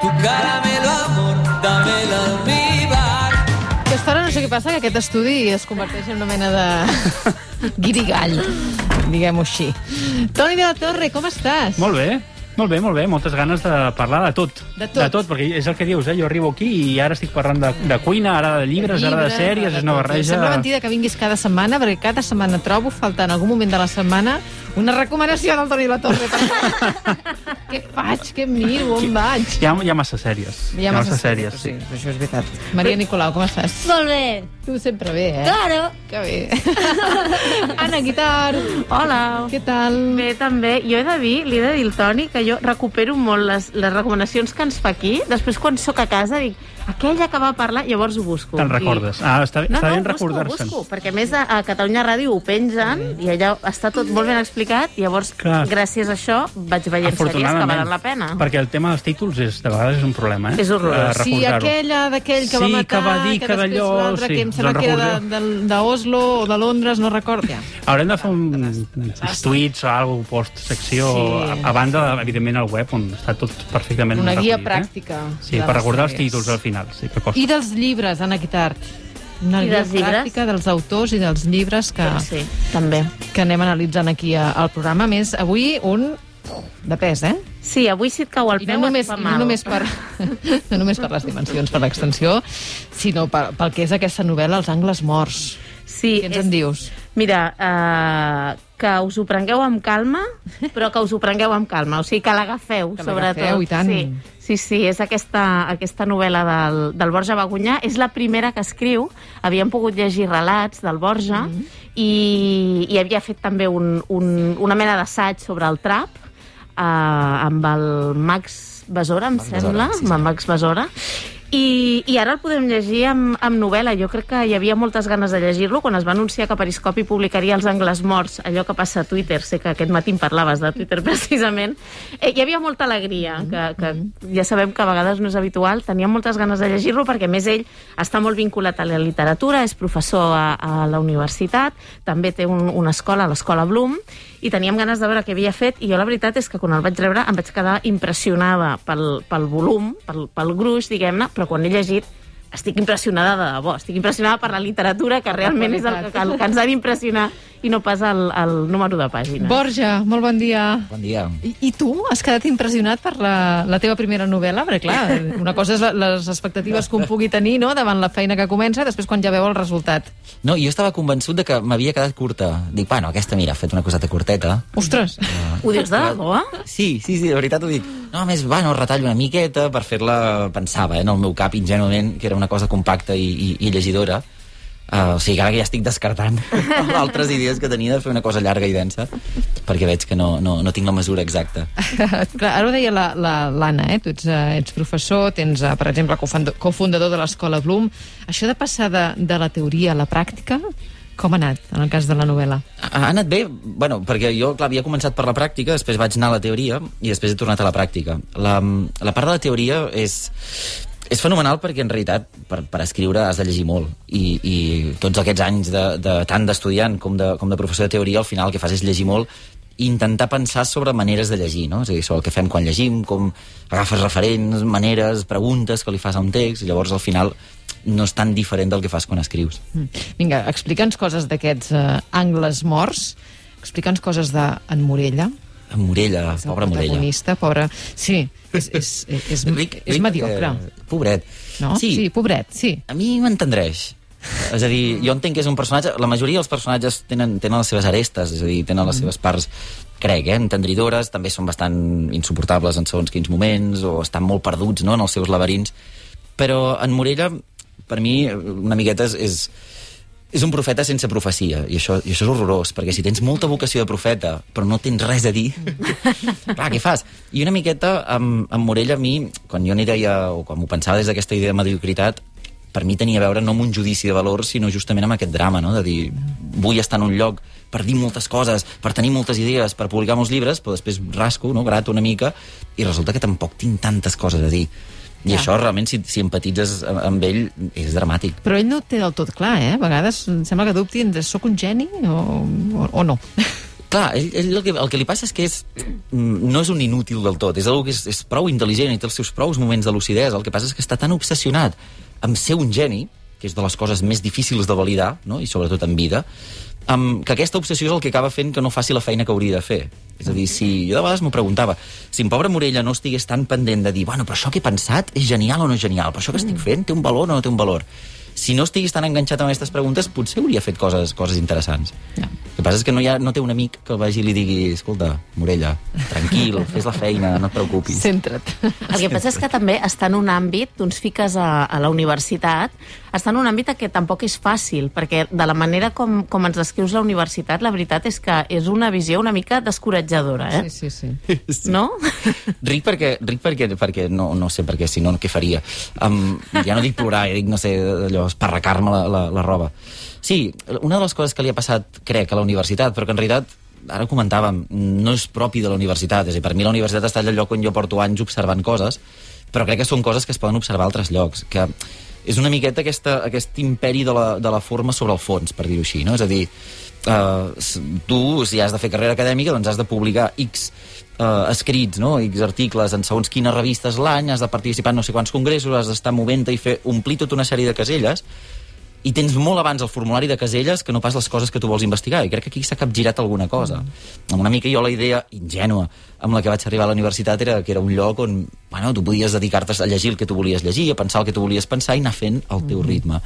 tu caramelo amor, dámelo almíbar. Aquesta hora no sé què passa, que aquest estudi es converteix en una mena de guirigall, diguem-ho així. Toni de la Torre, com estàs? Molt bé. Molt bé, molt bé. Moltes ganes de parlar de tot. De tot. De tot, perquè és el que dius, Jo arribo aquí i ara estic parlant de cuina, ara de llibres, ara de sèries, és una barreja... Sembla mentida que vinguis cada setmana, perquè cada setmana trobo faltar en algun moment de la setmana una recomanació del Toni de la Torre. Què faig? Què miro? On vaig? Hi ha massa sèries. Hi ha massa sèries, sí. Això és veritat. Maria Nicolau, com estàs? Molt bé. Tu sempre bé, Claro. Que bé. Anna Guitar. Hola. Què tal? Bé, també. Jo he de dir, li he de dir al Toni, que jo recupero molt les recomanacions que ens fa aquí. Després, quan sóc a casa, dic, aquella que va parlar, llavors ho busco. Te'n recordes? Està ben recordar-se'n. Busco, perquè a més a Catalunya Ràdio ho pengen i allà està tot molt ben explicat i llavors, gràcies a això, vaig veient sèries que valen la pena. Perquè el tema dels títols de vegades és un problema, És horrorós. Sí, aquella d'aquell que va matar, que va dir que després d'allò... l'altre, que em sembla que era d'Oslo o de Londres, no recordo. Haurem de fer uns tuits o alguna cosa, post-secció, a banda, evidentment, al web, on està tot perfectament una guia recollit, pràctica. Sí, per recordar els títols al final. Sí, que costa. I dels llibres, Anna Guitart. Una guia pràctica dels autors i dels llibres que també que anem analitzant aquí al programa. A més, avui un de pes, Sí, avui si et cau al peu et fa mal. No només per les dimensions, per l'extensió, sinó pel que és aquesta novel·la, Els angles morts. Sí, què ens en dius? Mira, que us ho prengueu amb calma, però que us ho prengueu amb calma. O sigui, que l'agafeu, sobretot. I tant. Sí, és aquesta novel·la del Borja Bagunyà. És la primera que escriu. Havíem pogut llegir relats del Borja i havia fet també una mena d'assaig sobre el trap amb el Max Besora, em sembla, amb el Max Besora. I ara el podem llegir amb novel·la. Jo crec que hi havia moltes ganes de llegir-lo quan es va anunciar que Periscopi publicaria Els angles morts, allò que passa a Twitter. Sé que aquest matí em parlaves de Twitter precisament. Hi havia molta alegria, que ja sabem que a vegades no és habitual. Tenia moltes ganes de llegir-lo perquè, a més, ell està molt vinculat a la literatura, és professor a la universitat, també té una escola, l'Escola Bloom, i teníem ganes de veure què havia fet, i jo la veritat és que quan el vaig rebre em vaig quedar impressionada pel volum, pel gruix, diguem-ne, però quan he llegit estic impressionada de debò, estic impressionada per la literatura, que realment és el que ens ha d'impressionar i no pas el número de pàgines. Borja, molt bon dia. Bon dia. I tu has quedat impressionat per la teva primera novel·la? Perquè, clar, una cosa és les expectatives que un pugui tenir, no?, davant la feina que comença, després quan ja veu el resultat. No, jo estava convençut de que m'havia quedat curta. Dic, bueno, aquesta, mira, ha fet una coseta curteta. Ostres! Ho dius de debò? Sí, de veritat ho dic. No, a més, bueno, retallo una miqueta per fer-la, pensava, en el meu cap, ingenuament, que era una cosa compacta i llegidora. O sigui, ara que ja estic descartant altres idees que tenia de fer una cosa llarga i densa, perquè veig que no tinc la mesura exacta. Clar, ara ho deia l'Anna, tu ets professor, tens, per exemple, cofundador de l'Escola Bloom. Això de passar de la teoria a la pràctica, com ha anat, en el cas de la novel·la? Ha anat bé, bueno, perquè jo, clar, havia començat per la pràctica, després vaig anar a la teoria i després he tornat a la pràctica. La part de la teoria és fenomenal perquè, en realitat, per escriure has de llegir molt. I tots aquests anys tant d'estudiant com de professor de teoria, al final el que fas és llegir molt i intentar pensar sobre maneres de llegir, no? És a dir, sobre el que fem quan llegim, com agafes referents, maneres, preguntes que li fas a un text, i llavors al final no és tan diferent del que fas quan escrius. Vinga, explica'ns coses d'aquests angles morts, explica'ns coses d'en Morella. En Morella, pobra Morella. Protagonista, pobra... Sí, és mediocre. Pobret. No? Sí, pobret, sí. A mi m'entendreix. És a dir, jo entenc que és un personatge... La majoria dels personatges tenen les seves arestes, és a dir, tenen les seves parts, crec, entendridores, també són bastant insuportables en segons quins moments, o estan molt perduts, no?, en els seus laberints. Però en Morella, per mi, una miqueta és un profeta sense profecia, i això és horrorós, perquè si tens molta vocació de profeta, però no tens res a dir, clar, què fas? I una miqueta, amb Morella, a mi, quan jo n'hi deia, o quan m'ho pensava des d'aquesta idea de mediocritat, per mi tenia a veure no amb un judici de valor, sinó justament amb aquest drama, no?, de dir, vull estar en un lloc per dir moltes coses, per tenir moltes idees, per publicar molts llibres, però després rasco, no?, grato una mica, i resulta que tampoc tinc tantes coses a dir. I això, realment, si empatitzes amb ell, és dramàtic. Però ell no ho té del tot clar, A vegades em sembla que dubti, soc un geni o no? Clar, ell el que li passa és que no és un inútil del tot, és algú que és prou intel·ligent i té els seus prous moments de lucidesa. El que passa és que està tan obsessionat amb ser un geni, que és de les coses més difícils de validar, no? I sobretot en vida, que aquesta obsessió és el que acaba fent que no faci la feina que hauria de fer. És a dir, jo de vegades m'ho preguntava, si en Pobre Morella no estigués tan pendent de dir, bueno, però això que he pensat és genial o no és genial, però això que estic fent té un valor o no té un valor. Si no estiguis tan enganxat amb aquestes preguntes, potser hauria fet coses interessants. No. El que passa és que no té un amic que el vagi i li digui, escolta, Morella, tranquil, fes la feina, no et preocupis. Centra't. El que passa és que també està en un àmbit, tu ens fiques a la universitat, està en un àmbit que tampoc és fàcil, perquè de la manera com ens descrius la universitat, la veritat és que és una visió una mica descoratjadora, eh? Sí. No? Ric perquè no sé, perquè si no, què faria? Ja no dic plorar, dic, no sé, allò, esparracar-me la roba. Sí, una de les coses que li ha passat, crec, a la universitat, però que en realitat, ara ho comentàvem, no és propi de la universitat. És a dir, per mi la universitat està allà al lloc on jo porto anys observant coses, però crec que són coses que es poden observar a altres llocs, que és una miqueta aquest imperi de la forma sobre el fons, per dir-ho així, no? És a dir, tu, si has de fer carrera acadèmica, doncs has de publicar X escrits, no? X articles en segons quines revistes l'any, has de participar en no sé quants congressos, has d'estar movent-te i omplir tota una sèrie de caselles, i tens molt abans el formulari de caselles que no pas les coses que tu vols investigar, i crec que aquí s'ha capgirat alguna cosa. Amb una mica jo la idea ingènua amb la que vaig arribar a la universitat era que era un lloc on, bueno, tu podies dedicar-te a llegir el que tu volies llegir, a pensar el que tu volies pensar i anar fent el teu ritme.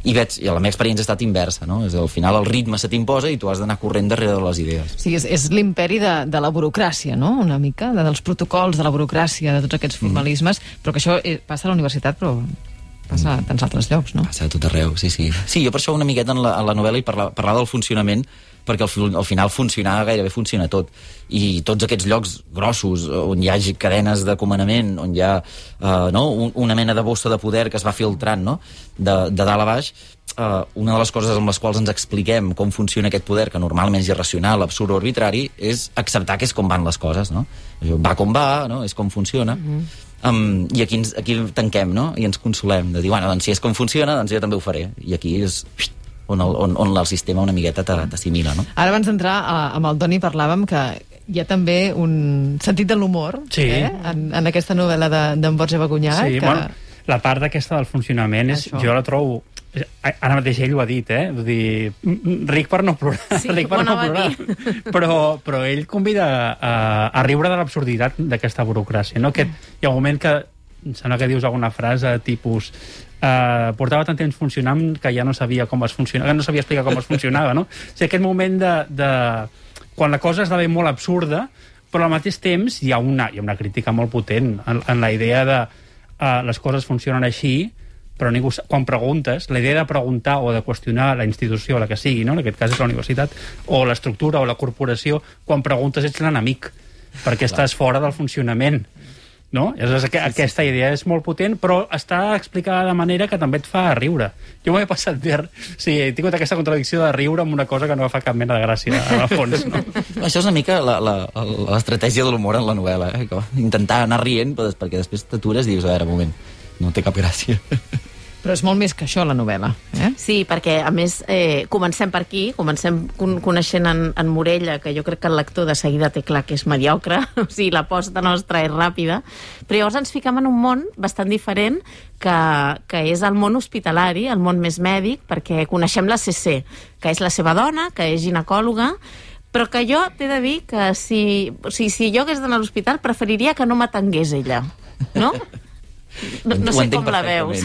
I la meva experiència ha estat inversa, no? És al final el ritme se t'imposa i tu has d'anar corrent darrere de les idees. Sí, és l'imperi de la burocràcia, no? Una mica, dels protocols, de la burocràcia, de tots aquests formalismes, però que això passa a la universitat, però passa a tants altres llocs, no? Passa a tot arreu, sí. Sí, jo per això una miqueta en la novel·la i parlar del funcionament, perquè al final funcionar gairebé funciona tot. I tots aquests llocs grossos, on hi hagi cadenes de comandament, on hi ha una mena de bossa de poder que es va filtrant, no? De dalt a baix, una de les coses amb les quals ens expliquem com funciona aquest poder, que normalment és irracional, absurd o arbitrari, és acceptar que és com van les coses, no? Va com va, no? És com funciona. I aquí tanquem, no? I ens consolem de dir, bueno, doncs si és com funciona, doncs jo també ho faré. I aquí és on el sistema una miqueta t'assimila, no? Ara, abans d'entrar amb el Toni, parlàvem que hi ha també un sentit de l'humor, sí, en aquesta novel·la d'en Borja Bagunyà. Sí, bueno, la part d'aquesta del funcionament jo la trobo... Ara mateix ell ho ha dit, vull dir, ric per no plorar, sí, ric per no plorar, però ell convida a riure de l'absurditat d'aquesta burocràcia, no? Hi ha un moment que em sembla que dius alguna frase tipus portava tant temps funcionant que ja no sabia com es funcionava, no sabia explicar com es funcionava, no? O sigui, aquest moment de quan la cosa esdevé molt absurda, però al mateix temps hi ha una crítica molt potent en la idea de les coses funcionen així, però ningú, quan preguntes, la idea de preguntar o de qüestionar la institució, la que sigui, no? En aquest cas és la universitat, o l'estructura o la corporació, quan preguntes ets l'enemic, perquè estàs fora del funcionament, no? Aquesta idea és molt potent, però està explicada de manera que també et fa riure. Jo m'ho he passat bé, sí, he tingut aquesta contradicció de riure amb una cosa que no fa cap mena de gràcia, al fons, no? Això és una mica l'estratègia de l'humor en la novel·la, intentar anar rient, perquè després t'atures i dius, a veure, un moment, no té cap gràcia. Però és molt més que això, la novel·la. Sí, perquè, a més, comencem per aquí, comencem coneixent en Morella, que jo crec que el lector de seguida té clar que és mediocre, o sigui, l'aposta nostra és ràpida, però llavors ens fiquem en un món bastant diferent, que és el món hospitalari, el món més mèdic, perquè coneixem la CC, que és la seva dona, que és ginecòloga, però que jo t'he de dir que si jo hagués d'anar a l'hospital preferiria que no m'atengués ella, no? No sé com la veus.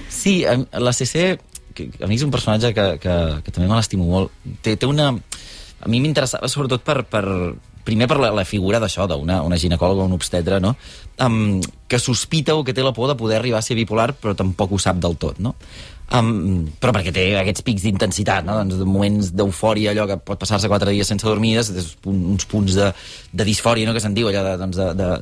Sí, la CC, que a mi és un personatge que també me l'estimo molt. Té una... A mi m'interessava sobretot primer per la figura d'això, d'una ginecòloga, un obstetre, no? Que sospita o que té la por de poder arribar a ser bipolar, però tampoc ho sap del tot, no? Però perquè té aquests pics d'intensitat, no? Doncs moments d'eufòria, allò que pot passar-se 4 dies sense dormir, uns punts de disfòria, no?, que se'n diu, allò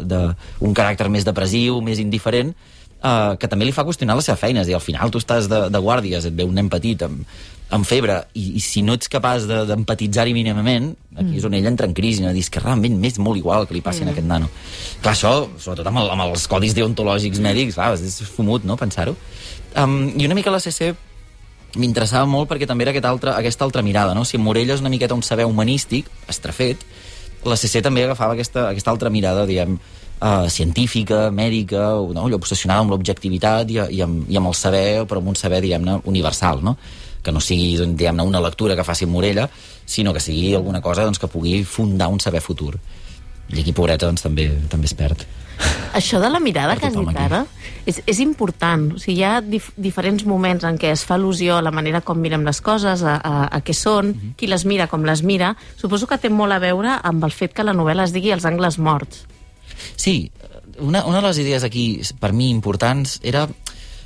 d'un caràcter més depressiu, més indiferent, que també li fa qüestionar la seva feina. És a dir, al final tu estàs de guàrdies, et ve un nen petit amb febre, i si no ets capaç d'empatitzar-hi mínimament, aquí és on ell entra en crisi, no? Dius que realment m'és molt igual que li passi a aquest nano. Clar, això, sobretot amb els codis deontològics mèdics, clar, és fumut, no?, pensar-ho. I una mica la CC m'interessava molt perquè també era aquesta altra mirada, no? Si en Morella és una miqueta un saber humanístic, estrafet, la CC també agafava aquesta altra mirada, diguem, científica, mèdica, no? Allò obsessionada amb l'objectivitat i amb el saber, però amb un saber, diguem-ne, universal, no? Que no sigui, diguem-ne, una lectura que faci en Morella, sinó que sigui alguna cosa doncs, que pugui fundar un saber futur. I aquí, pobreta, doncs, també es perd. Això de la mirada que has dit ara és important. O sigui, hi ha diferents moments en què es fa al·lusió a la manera com mirem les coses, a què són, qui les mira, com les mira. Suposo que té molt a veure amb el fet que la novel·la es digui Els angles morts. Sí, una de les idees aquí, per mi, importants, era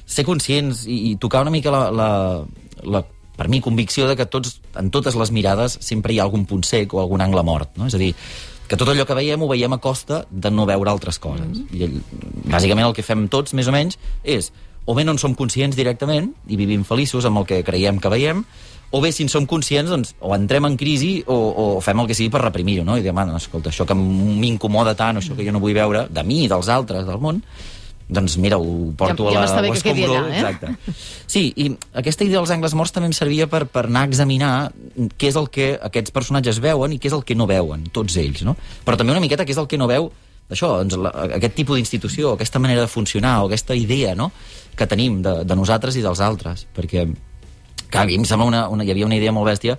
ser conscients i tocar una mica la per mi, convicció de que en totes les mirades sempre hi ha algun punt sec o algun angle mort, no? És a dir, que tot allò que veiem ho veiem a costa de no veure altres coses. I bàsicament el que fem tots, més o menys, és o bé no en som conscients directament i vivim feliços amb el que creiem que veiem, o bé si en som conscients, doncs, o entrem en crisi o fem el que sigui per reprimir-ho, no? I diem, escolta, això que m'incomoda tant, això que jo no vull veure, de mi i dels altres, del món, doncs mira, ho porto a l'escombro. Exacte. Sí, i aquesta idea dels angles morts també em servia per anar a examinar què és el que aquests personatges veuen i què és el que no veuen, tots ells, no? Però també una miqueta què és el que no veu això, doncs, aquest tipus d'institució, aquesta manera de funcionar, o aquesta idea, no?, que tenim de nosaltres i dels altres, perquè clar, a mi em sembla hi havia una idea molt bèstia,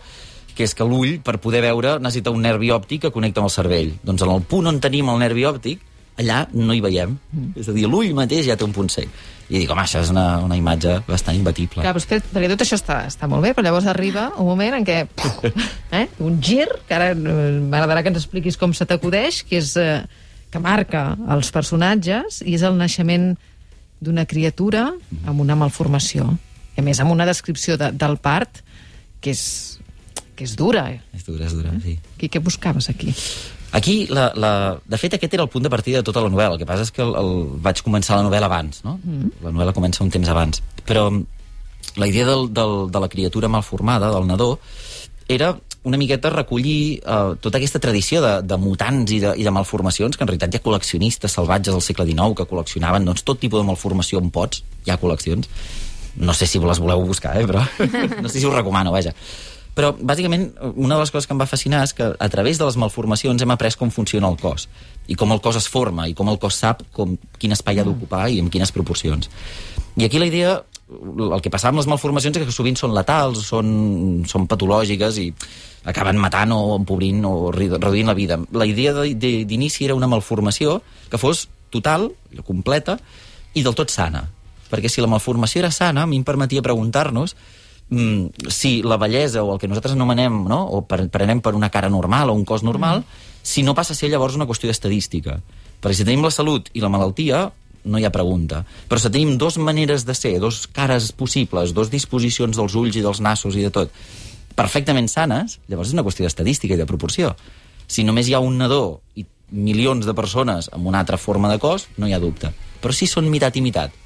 que és que l'ull, per poder veure, necessita un nervi òptic que connecta amb el cervell. Doncs en el punt on tenim el nervi òptic, allà no hi veiem. És a dir, l'ull mateix ja té un punt sec. I dic, home, això és una imatge bastant imbatible. Clar, perquè tot això està molt bé, però llavors arriba un moment en què un gir, que ara m'agradarà que ens expliquis com se t'acudeix, que és que marca els personatges i és el naixement d'una criatura amb una malformació. I a més, amb una descripció del part que és dura. És dura, sí. Què buscaves aquí? Aquí, de fet, aquest era el punt de partida de tota la novel·la. El que passa és que vaig començar la novel·la abans, no? La novel·la comença un temps abans. Però la idea de la criatura malformada, del nadó, era una miqueta recollir tota aquesta tradició de mutants i de malformacions, que en realitat hi ha col·leccionistes salvatges del segle XIX que col·leccionaven doncs, tot tipus de malformació en pots. Hi ha col·leccions. No sé si les voleu buscar, però no sé si us recomano, vaja. Però, bàsicament, una de les coses que em va fascinar és que a través de les malformacions hem après com funciona el cos, i com el cos es forma, i com el cos sap quin espai ha d'ocupar i en quines proporcions. I aquí la idea, el que passava amb les malformacions és que sovint són letals, són patològiques i acaben matant o empobrint o reduint la vida. La idea d'inici era una malformació que fos total, completa, i del tot sana. Perquè si la malformació era sana, a mi em permetia preguntar-nos si la bellesa o el que nosaltres anomenem, no? O prenem per una cara normal o un cos normal, si no passa a ser llavors una qüestió estadística. Perquè si tenim la salut i la malaltia, no hi ha pregunta. Però si tenim dos maneres de ser, dos cares possibles, dos disposicions dels ulls i dels nassos i de tot, perfectament sanes, llavors és una qüestió d'estadística i de proporció. Si només hi ha un nadó i milions de persones amb una altra forma de cos, no hi ha dubte. Però si són mitat i mitat,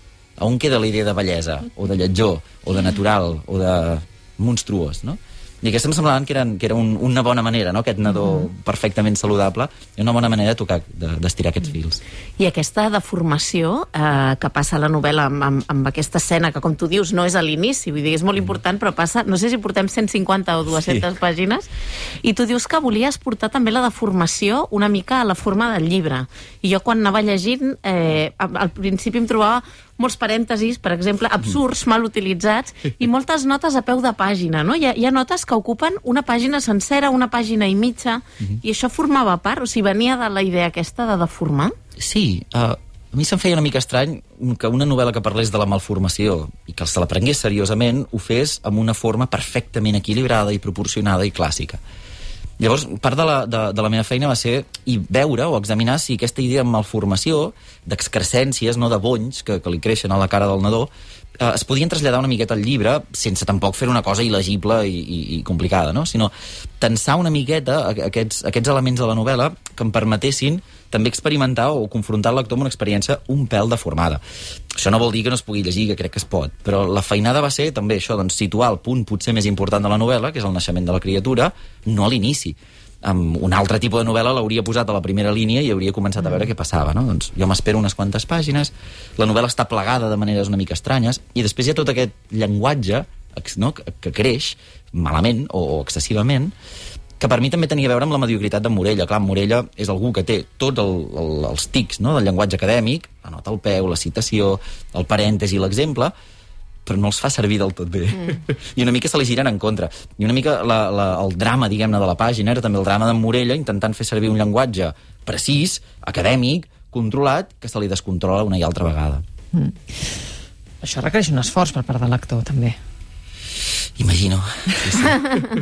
on queda la idea de bellesa, o de lletjor, o de natural, o de monstruós, no? I aquesta em semblaven que era una bona manera, no? Aquest nadó perfectament saludable, i una bona manera de tocar, d'estirar aquests fils. I aquesta deformació que passa a la novel·la amb aquesta escena, que com tu dius no és a l'inici, vull dir, és molt important, però passa, no sé si portem 150 o 200 pàgines, i tu dius que volies portar també la deformació una mica a la forma del llibre. I jo quan anava llegint, al principi em trobava molts parèntesis, per exemple, absurds, mal utilitzats, i moltes notes a peu de pàgina, no? Hi ha notes que ocupen una pàgina sencera, una pàgina i mitja, i això formava part, o sigui, venia de la idea aquesta de deformar? Sí, a mi se'm feia una mica estrany que una novel·la que parlés de la malformació i que se la prengués seriosament ho fes amb una forma perfectament equilibrada i proporcionada i clàssica. Llavors, part de la meva feina va ser veure o examinar si aquesta idea de malformació, d'excrescències, no de bonys que li creixen a la cara del nadó, es podien traslladar una miqueta al llibre sense tampoc fer una cosa il·legible i complicada, no? Sinó tensar una miqueta aquests elements de la novel·la que em permetessin també experimentar o confrontar el lector amb una experiència un pèl deformada. Això no vol dir que no es pugui llegir, que crec que es pot, però la feinada va ser també això, doncs, situar el punt potser més important de la novel·la, que és el naixement de la criatura, no a l'inici. Amb un altre tipus de novel·la l'hauria posat a la primera línia i hauria començat a veure què passava, no? Doncs jo m'espero unes quantes pàgines, la novel·la està plegada de maneres una mica estranyes, i després hi ha tot aquest llenguatge no? Que creix malament o excessivament, que per mi també tenia a veure amb la mediocritat de Morella. Clar, Morella és algú que té tots els tics, no?, del llenguatge acadèmic, la nota al peu, la citació, el parèntesi, l'exemple, però no els fa servir del tot bé. I una mica se li giren en contra. I una mica el drama, diguem-ne, de la pàgina era també el drama d'en Morella intentant fer servir un llenguatge precís, acadèmic, controlat, que se li descontrola una i altra vegada. Això requereix un esforç per part del lector, també. Imagino. Sí.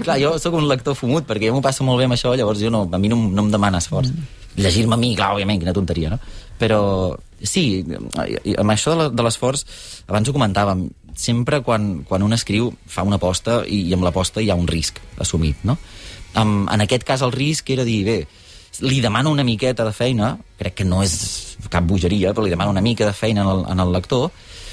Clar, jo sóc un lector fumut, perquè jo m'ho passo molt bé amb això, llavors a mi no em demana esforç. Llegir-me a mi, clar, òbviament, quina tonteria, no? Però sí, amb això de l'esforç, abans ho comentàvem, sempre quan un escriu fa una aposta i amb l'aposta hi ha un risc assumit, no? En aquest cas el risc era dir, bé, li demano una miqueta de feina, crec que no és cap bogeria, però li demano una mica de feina en el lector,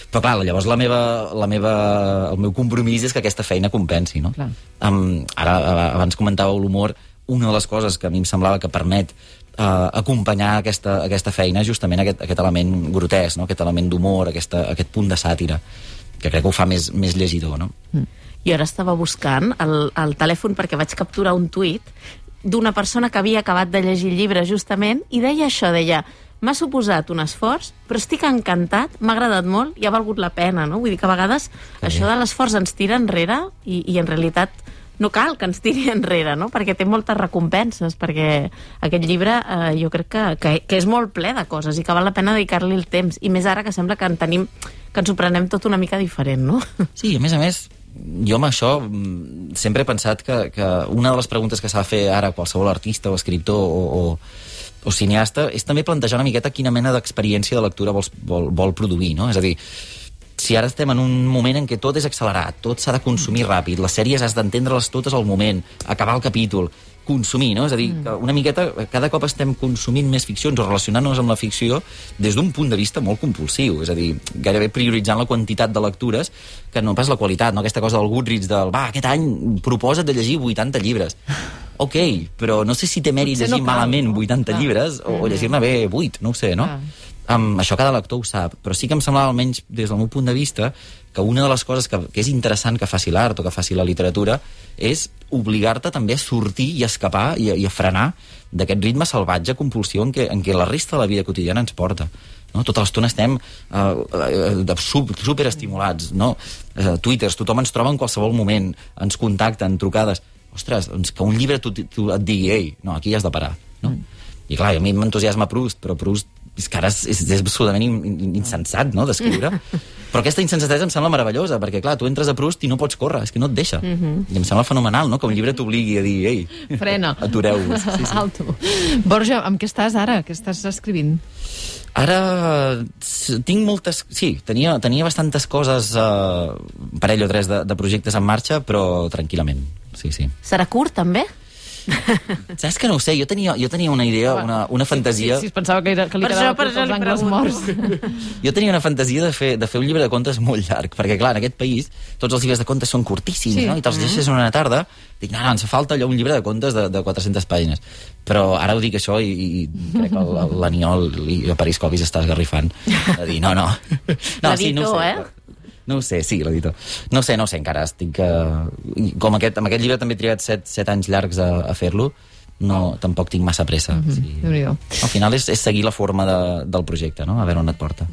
però clar, llavors el meu compromís és que aquesta feina compensi, no? Ara, abans comentàveu l'humor, una de les coses que a mi em semblava que permet acompanyar aquesta feina és justament aquest element grotesc, no? Aquest element d'humor, aquest punt de sàtira, que crec que ho fa més llegidor, no? I ara estava buscant el telèfon perquè vaig capturar un tuit d'una persona que havia acabat de llegir el llibre justament i deia això, deia: m'ha suposat un esforç, però estic encantat, m'ha agradat molt i ha valgut la pena, no? Vull dir que a vegades això de l'esforç ens tira enrere i en realitat no cal que ens tiri enrere, no? Perquè té moltes recompenses, perquè aquest llibre jo crec que és molt ple de coses i que val la pena dedicar-li el temps, i més ara que sembla que ens ho prenem tot una mica diferent, no? Sí, a més, jo amb això sempre he pensat que una de les preguntes que s'ha de fer ara qualsevol artista o escriptor o cineasta és també plantejar una miqueta quina mena d'experiència de lectura vol produir, no? És a dir, si ara estem en un moment en què tot és accelerat, tot s'ha de consumir ràpid, les sèries has d'entendre-les totes al moment, acabar el capítol, consumir, no? És a dir, que una miqueta cada cop estem consumint més ficcions o relacionant-nos amb la ficció des d'un punt de vista molt compulsiu, és a dir, gairebé prioritzant la quantitat de lectures que no pas la qualitat, no? Aquesta cosa del Goodreads del, aquest any proposa't de llegir 80 llibres. Ok, però no sé si té mèrit llegir malament 80 llibres o llegir-ne bé 8, no ho sé, no? Això cada lector ho sap, però sí que em semblava, almenys des del meu punt de vista, que una de les coses que és interessant que faci l'art o que faci la literatura és obligar-te també a sortir i a escapar i a frenar d'aquest ritme salvatge, compulsió en què la resta de la vida quotidiana ens porta. No? Tota l'estona estem superestimulats, no? Twitters, tothom ens troba en qualsevol moment, ens contacten, trucades. Ostres, que un llibre et digui, ei, no, aquí has de parar, no? I clar, a mi m'entusiasma Proust, però Proust és que ara és absolutament insensat, no?, d'escriure. Però aquesta insensatesa em sembla meravellosa, perquè, clar, tu entres a Proust i no pots córrer, és que no et deixa. I em sembla fenomenal, no?, que un llibre t'obligui a dir, ei, frena, atureu-vos. Sí. Alto. Borja, amb què estàs ara? Què estàs escrivint? Ara tinc moltes... Sí, tenia bastantes coses, un parell o tres de projectes en marxa, però tranquil·lament, sí. Serà curt, també? Saps que no ho sé, jo tenia una idea, una fantasia... Sí, es pensava que li quedava tots els angles morts. Jo tenia una fantasia de fer un llibre de contes molt llarg, perquè clar, en aquest país tots els llibres de contes són curtíssims, no? I te'ls llegeixes en una tarda, dic, no, ens falta allò un llibre de contes de 400 pàgines. Però ara ho dic això i crec que l'Aniol i a París Covis està esgarrifant a dir, no. L'editor, No ho sé, sí, l'editor. No sé, encara estic... Com amb aquest llibre també he trigat 7 anys llargs a fer-lo, tampoc tinc massa pressa. Déu-n'hi-do. Al final és seguir la forma del projecte, no? A veure on et porta.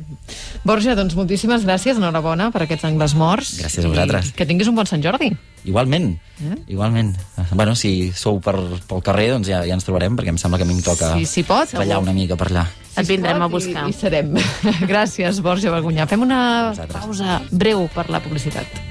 Borja, doncs moltíssimes gràcies, enhorabona per aquests angles morts. Gràcies a vosaltres. Que tinguis un bon Sant Jordi. Igualment. Bueno, si sou pel carrer, doncs ja ens trobarem, perquè em sembla que a mi em toca ballar una mica per allà. Et vindrem a buscar. I serem. Gràcies, Borja Bagunyà. Fem una pausa breu per la publicitat.